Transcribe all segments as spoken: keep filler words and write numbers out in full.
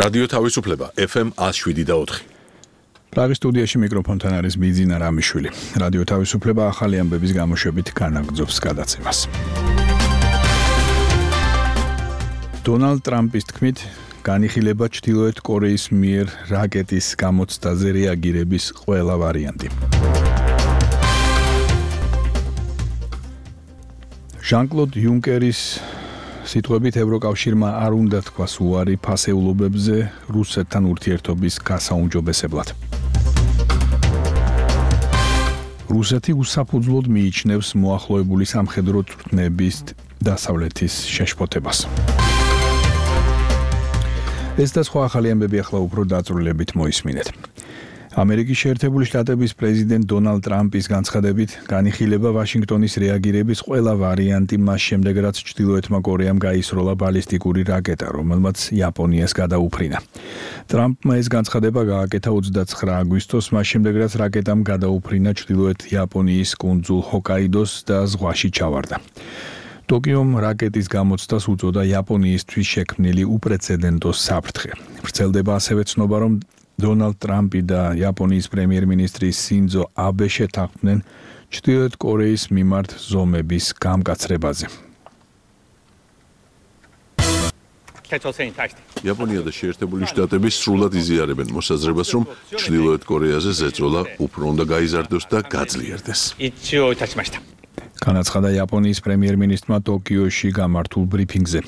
რადიო თავისუფლება ეფ ემ one oh seven და four. პრაღის სტუდიაში მიკროფონთან არის ბიძინა რამიშვილი. რადიო თავისუფლება ახალი ამბების გამოშვებით განაგრძობს გადაცემას. დონალდ ტრამპის თქმით, განიხილება ჩრდილოეთ კორეის მიერ რაკეტის გამოცდაზე რეაგირების ყველა ვარიანტი. ჟან-კლოდ იუნკერის სიტყვებით ევროკავშირმა არ უნდა თქვას უარი ფასეულობებზე რუსეთთან ურთიერთობის გასაუმჯობესებლად. რუსეთი უსაფუძვლოდ მიიჩნევს მოახლოებული სამხედრო წვრთნების დასავლეთის შეშფოთებას. ეს და სხვა ახალი ამბები ახლა უფრო დაწვრილებით მოისმინეთ. ამერიკის შეერთებული შტატების პრეზიდენტ დონალდ ტრამპის განცხადებით განიხილება ვაშინგტონის რეაგირების ყველა ვარიანტი მას შემდეგ, რაც ჩრდილოეთმა კორეამ გაისროლა ბალისტიკური რაკეტა, რომელმაც იაპონიას გადაუფრინა. ტრამპმა ეს განცხადება გააკეთა ოცდაცხრა აგვისტოს, მას შემდეგ, რაც რაკეტამ გადაუფრინა ჩრდილოეთ იაპონიის კუნძულ ჰოკაიდოს და ზღვაში ჩავარდა. ტოკიომ რაკეტის გამოცდას უწოდა იაპონიისთვის შექმნილი უპრეცედენტო საფრთხე. ვრცელდება ასევე ცნობა, რომ დონალდ ტრამპი და იაპონიის პრემიერ-მინისტრი სინძო აბე შეთანხმდნენ ჩრდილოეთ კორეის მიმართ ზომების გამკაცრებაზე. იაპონია და შეერთებული შტატები სრულად იზიარებენ მოსაზრებას, რომ ჩრდილოეთ კორეაზე ზეწოლა უფრო უნდა გაიზარდოს და გაძლიერდეს. განაცხადა იაპონიის პრემიერ-მინისტრმა ტოკიოში გამართულ ბრიფინგზე.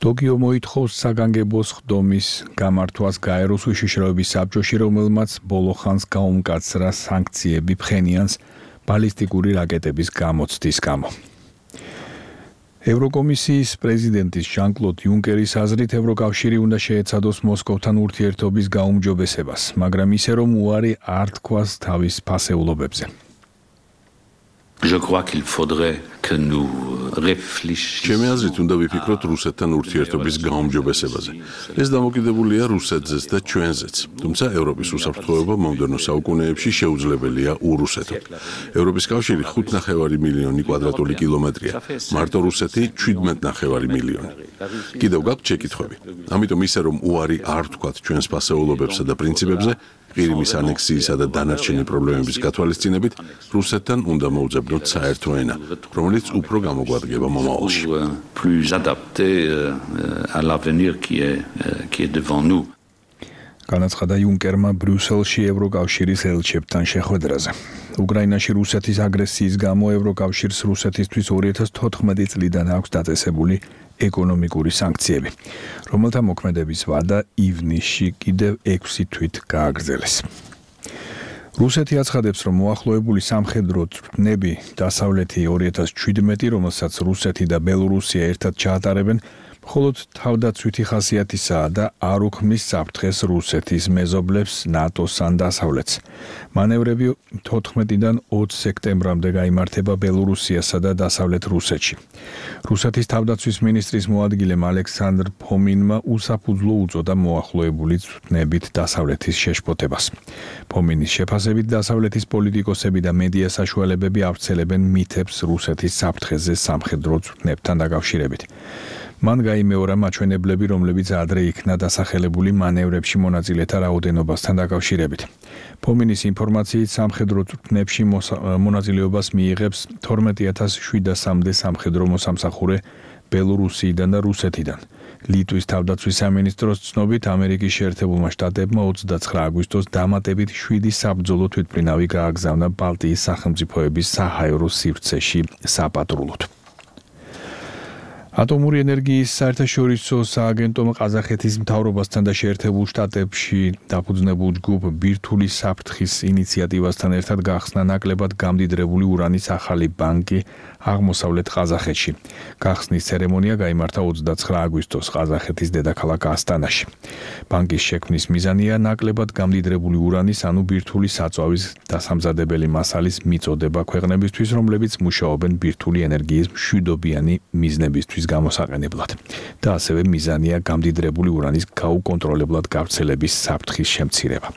ტოკიო მოითხოვს საგანგებო სხდომის გამართვას გაეროს უშიშროების საბჭოში, რომელმაც ბოლო ხანს გაუმკაცრა სანქციები ფხენიანს ბალისტიკური რაკეტების გამოცდის გამო. ევროკომისიის პრეზიდენტის ჟან-კლოდ იუნკერის აზრით ევროკავშირი უნდა შეეცადოს მოსკოვთან ურთიერთობის გაუმჯობესებას, მაგრამ ისე რომ უარი არ თქვას თავის ფასეულობებზე. Je crois qu'il faudrait que nous réfléchissions. ჩემი აზრით უნდა ვიფიქროთ რუსეთთან ურთიერთობის გაუმჯობესებაზე. ეს დამოკიდებულია რუსეთზეც და ჩვენზეც. თუმცა ევროპის უსაფრთხოება მომდევნო საუკუნეებში შეუძლებელია ურუსეთო. ევროპის კავშირი ხუთ ნახევარი მილიონი კვადრატული კილომეტრია. მარტო რუსეთი შვიდმეტ ნახევარი მილიონი. კიდევ გაქვთ შეკითხვები. ამიტომ ისე რომ უარი არ თქვათ ჩვენს ფასეულობებსა და პრინციპებზე, ყირიმის ანექსიისა და დანარჩენი პრობლემების გათვალისწინებით, რუსეთთან უნდა მოუძებნოთ საერთო ენა, რომელიც უფრო გამოგვადგება მომავალში. Plus adapté à l'avenir qui est qui est devant nous. განაცხადა იუნკერმა ბრიუსელში ევროკავშირის ელჩებთან შეხვედრაზე. უკრაინაში რუსეთის აგრესიის გამო ევროკავშირს რუსეთისთვის ორი ათას თოთხმეტი წლიდან აქვს დაწესებული ეკონომიკური სანქციები, რომელთა მოქმედების ვადა ივნისში კიდევ ექვსი თვით გააგრძელეს. რუსეთი აცხადებს, რომ მოახლოებული სამხედრო წვრთნები დასავლეთი ორი ათას შვიდმეტი, რომელსაც რუსეთი და ბელორუსია ერთად ჩაატარებენ, მხოლოდ თავდაცვითი ხასიათისაა და არ უქმნის საფრთხეს რუსეთის მეზობლებს, ნატოს ან დასავლეთს. მანევრები თოთხმეტიდან ოცი სექტემბრამდე გაიმართება ბელორუსიასა და დასავლეთ რუსეთში. რუსეთის თავდაცვის მინისტრის მოადგილემ ალექსანდრ ფომინმა უსაფუძვლო უწოდა მოახლოებული წვრთნებით დასავლეთის შეშფოთებას. ფომინის შეფასებით დასავლეთის პოლიტიკოსები და მედია საშუალებები ავრცელებენ მითებს რუსეთის საფრთხეზე სამხედრო წვრთნებთან დაკავშირებით. მან გაიმეორა მაჩვენებლები, რომლებიც ადრე იქნა დასახელებული მანევრებში მონაწილეთა რაოდენობასთან დაკავშირებით. ფომინის ინფორმაციით სამხედრო წვრთნებში მონაწილეობას მიიღებს თორმეტი ათას შვიდასამდე სამხედრო მოსამსახურე ბელორუსიიდან და რუსეთიდან. ლიტვის თავდაცვის სამინისტროს ცნობით, ამერიკის შეერთებულმა შტატებმა ოცდაცხრა აგვისტოს დამატებით შვიდი საბრძოლო თვითმფრინავი გააგზავნა ბალტიის სახელმწიფოების საჰაერო სივრცეში საპატრულოდ. ატომური ენერგიის საერთაშორისო სააგენტომ ყაზახეთის მთავრობასთან და შეერთებულ შტატებში დაფუძნებულ ჯგუფ ბირთვული საფრთხის ინიციატივასთან ერთად გახსნა ნაკლებად გამდიდრებული ურანის ახალი ბანკი აღმოსავლეთ ყაზახეთში. გახსნის ცერემონია გაიმართა ოცდაცხრა აგვისტოს ყაზახეთის დედაქალაქ ასტანაში. ბანკის შექმნის მიზანია ნაკლებად გამდიდრებული ურანის, ანუ ბირთვული საწვავის დასამზადებელი მასალის მიწოდება ქვეყნებისთვის, რომლებიც მუშაობენ ბირთვული ენერგიის მშვიდობიანი მიზნებისთვის გამოსაყენებლად და ასევე მიზანია გამდიდრებული ურანის გაუკონტროლებლად გავრცელების საფრთხის შემცირება.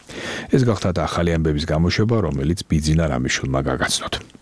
ეს გახდა ახალი ამბების გამოშვება, რომელიც ბიძინა რამიშვილმა გაგაცნოთ.